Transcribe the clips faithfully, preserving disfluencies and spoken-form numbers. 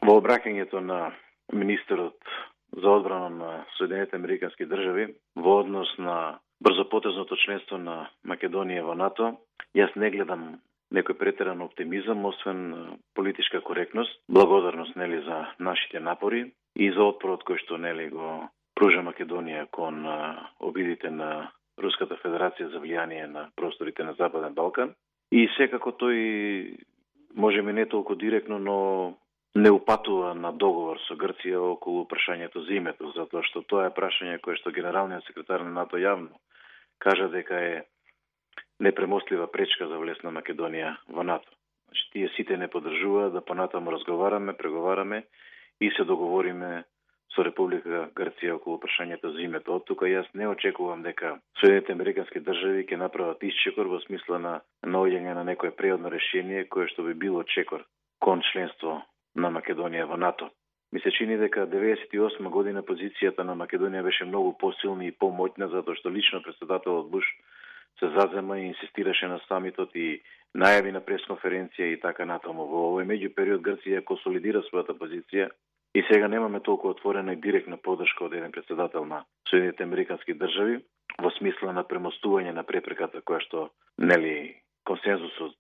Во обраќањето на министерот за одбрана на Соединетите Американски држави во однос на брзопотезното членство на Македонија во НАТО, јас не гледам некој претеран оптимизам, освен политичка коректност, благодарност нели за нашите напори и за отпорот кој што нели го пружа Македонија кон обидите на Руската Федерација за влијание на просторите на Западен Балкан. И секако тој можеби не толку директно, но не упатува на договор со Грција околу прашањето за името, затоа што тоа е прашање кое што генералниот секретар на НАТО јавно кажа дека е непремостлива пречка за влез на Македонија во НАТО. Значи, тие сите не поддржуваат да понатаму разговараме, преговараме и се договориме со Република Грција околу прашањето за името. Од тука јас не очекувам дека Соединетите Американски држави ќе направат исчекор во смисла на наоѓање на некое преодно решение кое што би било чекор кон членство на Македонија во НАТО. Ми се чини дека деветдесет и осма година позицијата на Македонија беше многу посилна и помоќна, затоа што лично претседателот Буш се зазема и инсистираше на самитот и најави на пресконференција и така натаму. Во овој меѓупериод Грција консолидира својата позиција и сега немаме толку отворена и директна поддршка од еден претседател на Соединетите Американски држави во смисла на премостување на препреката која што нели консензусот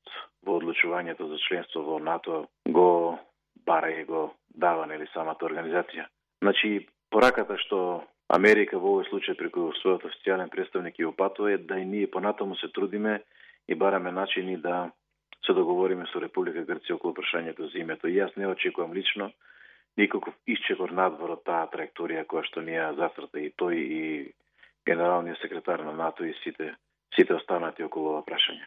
во одлучувањето за членство во НАТО го бара и го дава нели самата организација. Значи, пораката што Америка во овој случај преку својот официјален представник ја упатува е да и ние понатаму се трудиме и бараме начини да се договориме со Република Грција околу прашањето за името. И јас не очекувам лично никаков исчекор надвор од таа траекторија која што ни ја зацрта и тој и генералниот секретар на НАТО и сите сите останати околу ова прашање.